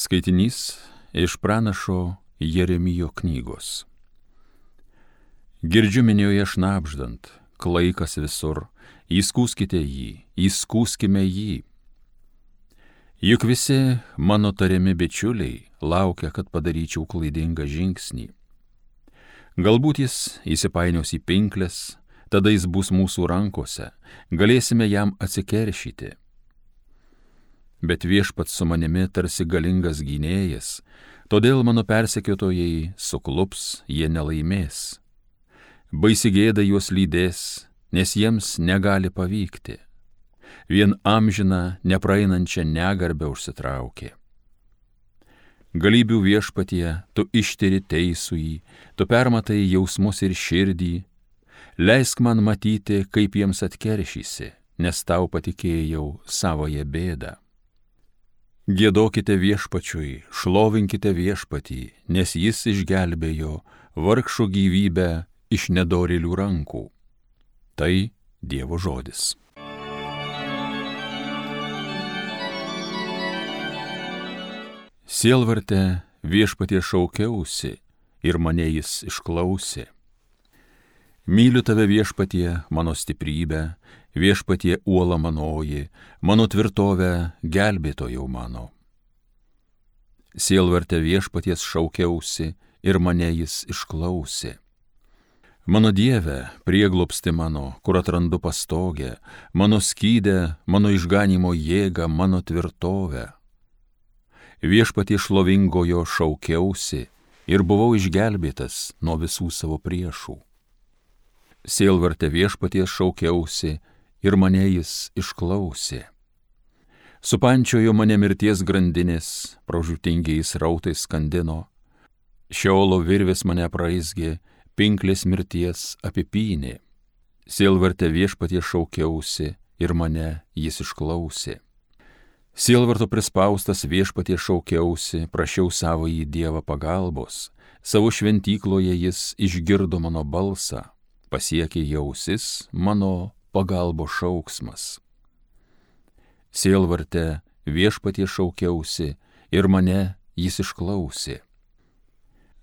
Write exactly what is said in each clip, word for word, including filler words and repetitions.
Skaitinys iš pranašo Jeremijo knygos. Girdžiu minioje šnabždant, klaikas visur, įskųskite jį, įskūskime jį. Juk visi mano tariami bičiuliai laukia, kad padaryčiau klaidingą žingsnį. Galbūt jis įsipainios į pinkles, tada jis bus mūsų rankose, galėsime jam atsikeršyti. Bet viešpats su manimi tarsi galingas gynėjas, todėl mano persekiotojai suklups, jie nelaimės. Baisi gėda juos lydės, nes jiems negali pavykti. Vien amžiną, nepraeinančią negarbę užsitraukė. Galybių viešpatie, tu ištiri teisųjį, tu permatai jausmus ir širdį. Leisk man matyti, kaip jiems atkeršysi, nes tau patikėjau savoje bėdą. Giedokite viešpačiui, šlovinkite viešpatį, nes jis išgelbėjo vargšų gyvybę iš nedorėlių rankų. Tai Dievo žodis. Sielvarte viešpatie šaukiausi ir mane jis išklausė. Myliu tave viešpatie, mano stiprybę, viešpatie uola manoji, mano tvirtovę, gelbėtojau mano. Sielvarte viešpaties šaukiausi ir mane jis išklausė. Mano Dieve, prieglobsti mano, kur atrandu pastogę, mano skydę, mano išganimo jėgą, mano tvirtovę. Viešpatie šlovingojo šaukiausi ir buvau išgelbėtas nuo visų savo priešų. Sielvarte viešpaties šaukiausi ir mane jis išklausė. Supančiojo mane mirties grandinės, pražūtingiais rautais skandino. Šeolo virvės mane praizgė, pinklės mirties apipynė. Sielvarte viešpaties šaukiausi ir mane jis išklausė. Sielvarto prispaustas viešpaties šaukiausi, prašiau savąjį Dievą pagalbos. Savo šventykloje jis išgirdo mano balsą. Pasiekė jausis mano pagalbo šauksmas. Sielvarte viešpatie šaukiausi ir mane jis išklausė.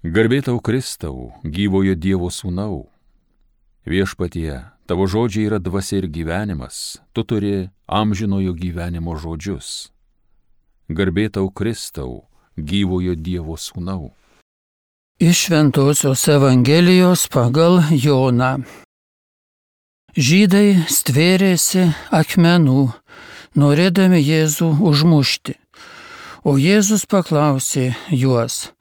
Garbė tau Kristau, gyvojo Dievo sūnau. Viešpatie, tavo žodžiai yra dvasia ir gyvenimas, tu turi amžinojo gyvenimo žodžius. Garbė tau Kristau, gyvojo Dievo sūnau. Iš Šventosios Evangelijos pagal Joną. Žydai stvėrėsi akmenų, norėdami Jėzų užmušti. O Jėzus paklausė juos: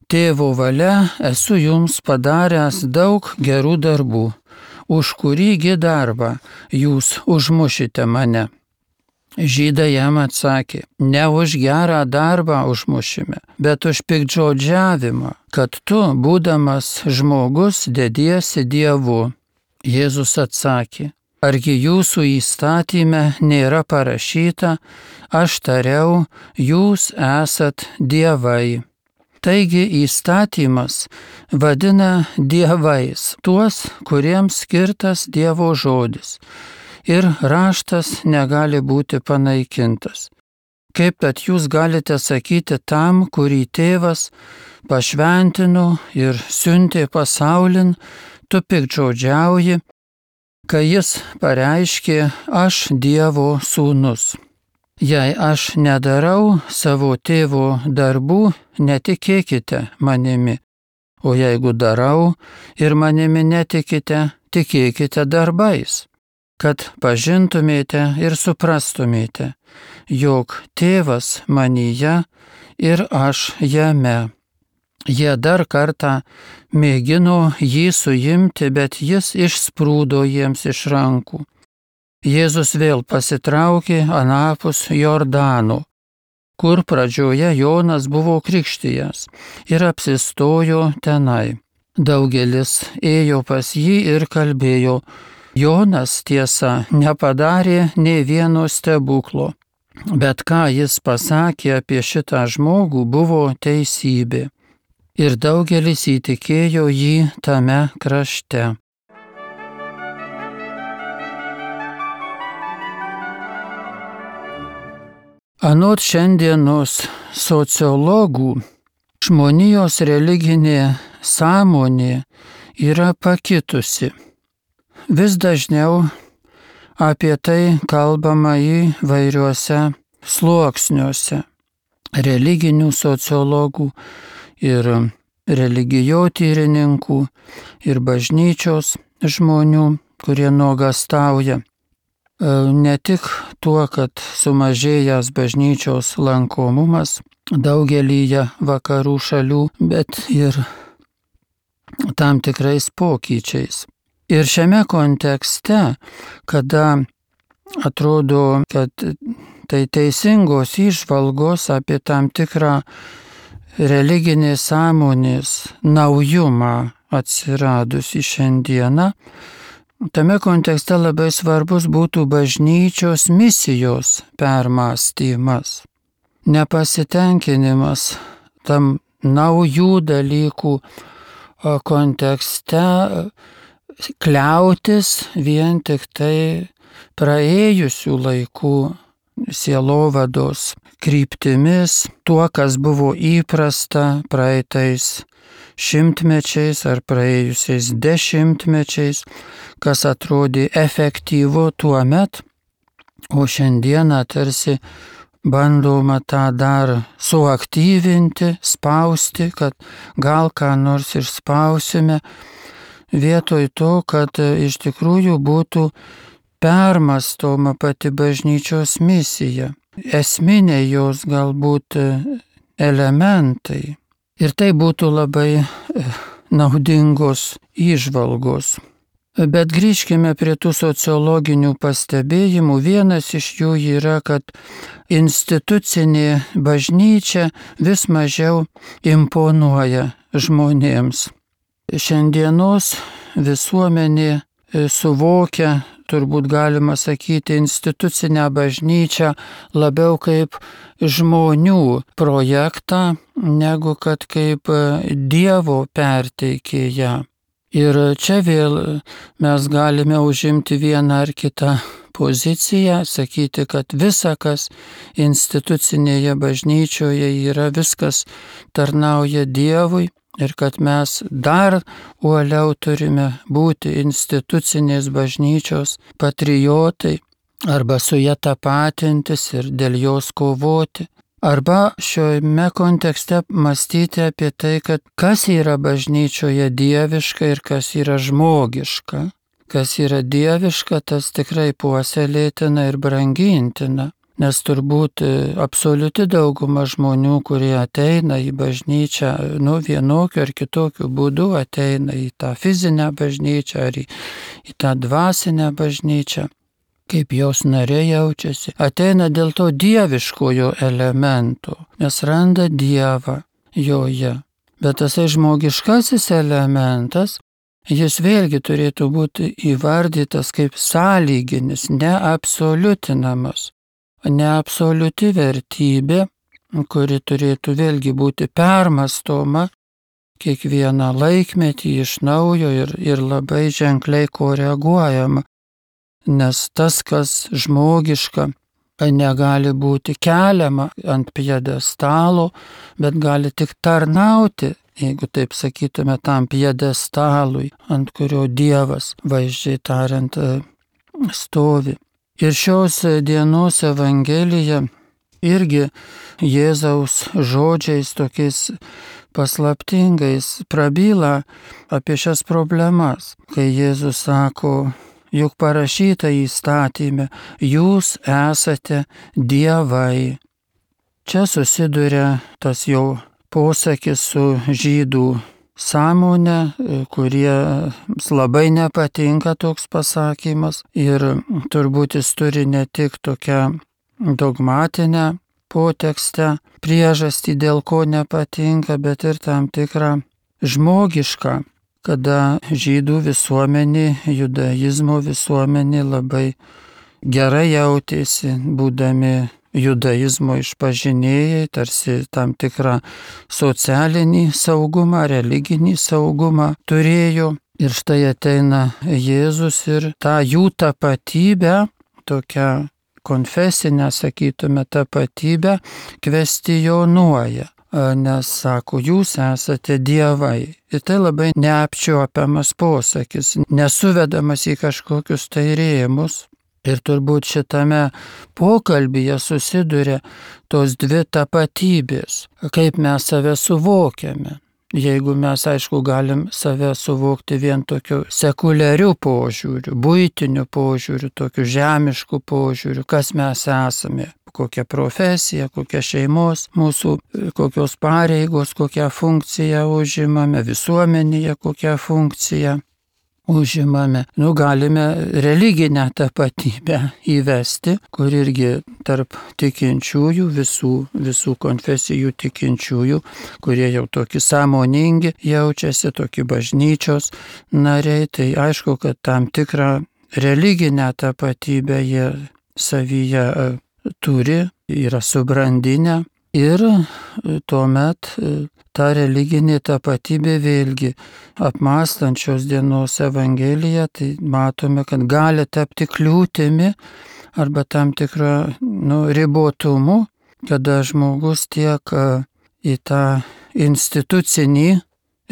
Tėvo valia esu jums padaręs daug gerų darbų, už kurįgi darbą jūs užmušite mane? Žydai jam atsakė: ne už gerą darbą užmušime, bet už piktžodžiavimą, kad tu, būdamas žmogus, dediesi Dievu. Jėzus atsakė: argi jūsų įstatyme nėra parašyta, aš tariau, jūs esat dievai. Taigi įstatymas vadina dievais tuos, kuriems skirtas Dievo žodis. Ir raštas negali būti panaikintas. Kaip tad jūs galite sakyti tam, kurį tėvas pašventino ir siuntė pasaulin, tu piktžodžiauji, kai jis pareiškė: aš Dievo sūnus. Jei aš nedarau savo tėvo darbų, netikėkite manimi, o jeigu darau ir manimi netikite, tikėkite darbais, kad pažintumėte ir suprastumėte, jog tėvas manyje ir aš jame. Jie dar kartą mėgino jį suimti, bet jis išsprūdo jiems iš rankų. Jėzus vėl pasitraukė anapus Jordano, kur pradžioje Jonas buvo krikštijęs, ir apsistojo tenai. Daugelis ėjo pas jį ir kalbėjo: Jonas, tiesa, nepadarė nė vieno stebuklo, bet ką jis pasakė apie šitą žmogų, buvo teisybė. Ir daugelis įtikėjo jį tame krašte. Anot šiandienos sociologų, žmonijos religinė sąmonė yra pakitusi. Vis dažniau apie tai kalbama įvairiuose sluoksniuose religinių sociologų ir religijotyrininkų ir bažnyčios žmonių, kurie nuogąstauja ne tik tuo, kad sumažėjęs bažnyčios lankomumas daugelyje vakarų šalių, bet ir tam tikrais pokyčiais. Ir šiame kontekste, kada atrodo, kad tai teisingos įžvalgos apie tam tikrą religinės sąmonės naujumą atsiradusi šiandieną, tame kontekste labai svarbus būtų bažnyčios misijos permąstymas, nepasitenkinimas tam naujų dalykų kontekste kliautis vien tik tai praėjusių laikų sielovados kryptimis, tuo, kas buvo įprasta praeitais šimtmečiais ar praėjusiais dešimtmečiais, kas atrodė efektyvu tuo met, o šiandieną tarsi bandoma tą dar suaktyvinti, spausti, kad gal ką nors ir spausime, vietoj to, kad iš tikrųjų būtų permąstoma pati bažnyčios misija, esminiai jos galbūt elementai. Ir tai būtų labai naudingos įžvalgos. Bet grįžkime prie tų sociologinių pastebėjimų. Vienas iš jų yra, kad institucinė bažnyčia vis mažiau imponuoja žmonėms. Šiandienos visuomenė suvokia, turbūt galima sakyti, institucinę bažnyčią labiau kaip žmonių projektą, negu kad kaip Dievo perteikėją. Ir čia vėl mes galime užimti vieną ar kitą poziciją, sakyti, kad visa, kas institucinėje bažnyčioje yra, viskas tarnauja Dievui ir kad mes dar uoliau turime būti institucinės bažnyčios patriotai arba su ja tapatintis ir dėl jos kovoti. Arba šiame kontekste mąstyti apie tai, kad kas yra bažnyčioje dieviška ir kas yra žmogiška. Kas yra dieviška, tas tikrai puoselėtina ir brangintina. Nes turbūt absoliuti dauguma žmonių, kurie ateina į bažnyčią, nu vienokiu ar kitokiu būdu ateina į tą fizinę bažnyčią ar į, į tą dvasinę bažnyčią, kaip jos nariai jaučiasi, ateina dėl to dieviškojo elemento, nes randa Dievą joje. Bet tasai žmogiškasis elementas, jis vėlgi turėtų būti įvardytas kaip sąlyginis, neabsoliutinamas. Neabsoliuti vertybė, kuri turėtų vėlgi būti permąstoma kiekvieną laikmetį iš naujo ir, ir labai ženkliai koreguojama. Nes tas, kas žmogiška, negali būti keliama ant pjedestalo, bet gali tik tarnauti, jeigu taip sakytume, tam pjedestalui, ant kurio Dievas, vaizdžiai tariant, stovi. Ir šios dienos Evangelija irgi Jėzaus žodžiais tokiais paslaptingais prabyla apie šias problemas, kai Jėzus sako, juk parašyta įstatyme, jūs esate dievai. Čia susiduria tas jau posakis su žydų sąmonę, kuriems labai nepatinka toks pasakymas ir turbūt jis turi ne tik tokią dogmatinę potekstę, priežastį, dėl ko nepatinka, bet ir tam tikrą žmogišką, kada žydų visuomenė, judaizmo visuomenė labai gerai jautėsi, būdami judaizmo išpažinėjai, tarsi tam tikrą socialinį saugumą, religinį saugumą turėjo. Ir štai ateina Jėzus ir tą jų tapatybę, tokią konfesinę, sakytume, tapatybę kvestionuoja. Nes sako, jūs esate dievai. Ir tai labai neapčiuopiamas posakis, nesuvedamas į kažkokius tai rėmus. Ir turbūt šitame pokalbyje susiduria tos dvi tapatybės, kaip mes save suvokiame. Jeigu mes, aišku, galim save suvokti vien tokiu sekuliariu požiūriu, buitiniu požiūriu, tokiu žemišku požiūriu, kas mes esame, kokia profesija, kokia šeimos, mūsų kokios pareigos, kokią funkciją užimame, visuomenėje kokią funkciją užimame. Nu, galime religinę tapatybę įvesti, kur irgi tarp tikinčiųjų, visų, visų konfesijų tikinčiųjų, kurie jau tokie sąmoningi jaučiasi, tokie bažnyčios nariai, tai aišku, kad tam tikrą religinę tapatybę jie savyje turi, yra subrandinę. Ir tuomet ta religinė tapatybė vėlgi apmąstant šios dienos Evangeliją, tai matome, kad gali tapti kliūtimi arba tam tikrą nu, ribotumu, kada žmogus tiek į tą institucinį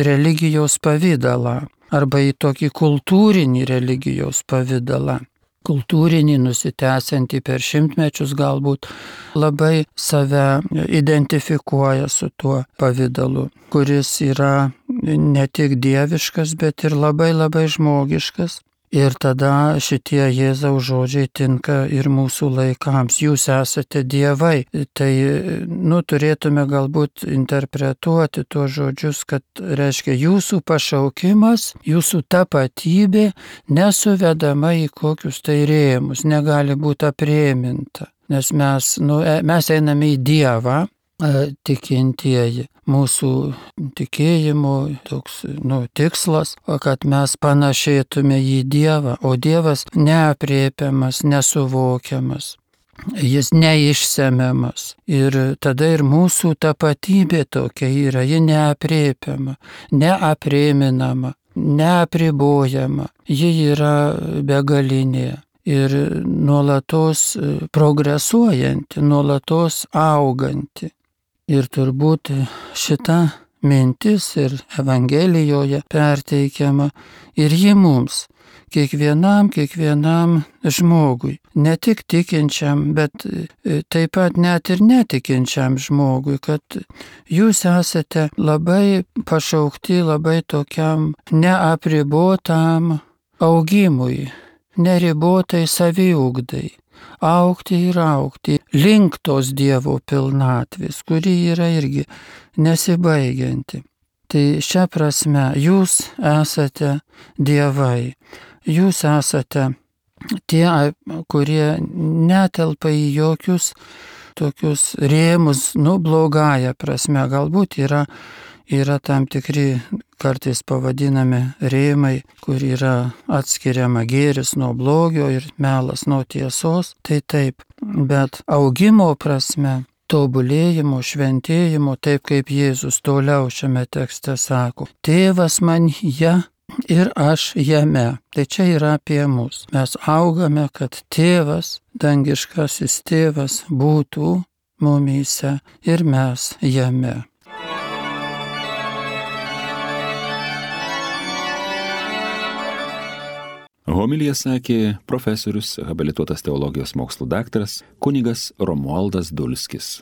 religijos pavidalą arba į tokį kultūrinį religijos pavidalą. Kultūrinį, nusitęsiantį per šimtmečius galbūt labai save identifikuoja su tuo pavidalu, kuris yra ne tik dieviškas, bet ir labai labai žmogiškas. Ir tada šitie Jėzaus žodžiai tinka ir mūsų laikams. Jūs esate dievai. Tai, nu, turėtume galbūt interpretuoti tuos žodžius, kad reiškia jūsų pašaukimas, jūsų tapatybė nesuvedama į kokius tai rėmus, negali būti aprėminta. Nes mes, nu, mes einame į Dievą, tikintieji. Mūsų tikėjimo toks nu, tikslas, kad mes panašėtume į Dievą, o Dievas neaprėpiamas, nesuvokiamas, jis neišsemiamas. Ir tada ir mūsų tapatybė tokia yra, ji neaprėpiama, neaprėminama, neapribojama, ji yra begalinė. Ir nuolatos progresuojanti, nuolatos auganti. Ir turbūt šita mintis ir Evangelijoje perteikiama ir ji mums, kiekvienam, kiekvienam žmogui, ne tik tikinčiam, bet taip pat net ir netikinčiam žmogui, kad jūs esate labai pašaukti, labai tokiam neapribotam augimui, neribotai saviugdai. Augti ir augti link tos Dievo pilnatvės, kuri yra irgi nesibaigianti. Tai šia prasme jūs esate dievai, jūs esate tie, kurie netelpa į jokius tokius rėmus, nu blogąją prasme, galbūt yra, yra tam tikri kartais pavadinami rėmai, kur yra atskiriama gėris nuo blogio ir melas nuo tiesos, tai taip, bet augimo prasme, tobulėjimo, šventėjimo, taip kaip Jėzus toliau šiame tekste sako, tėvas manyje ir aš jame. Tai čia yra apie mus. Mes augame, kad tėvas, dangiškasis tėvas būtų mumyse ir mes jame. Homiliją sakė profesorius, habilituotas teologijos mokslų daktaras kunigas Romualdas Dulskis.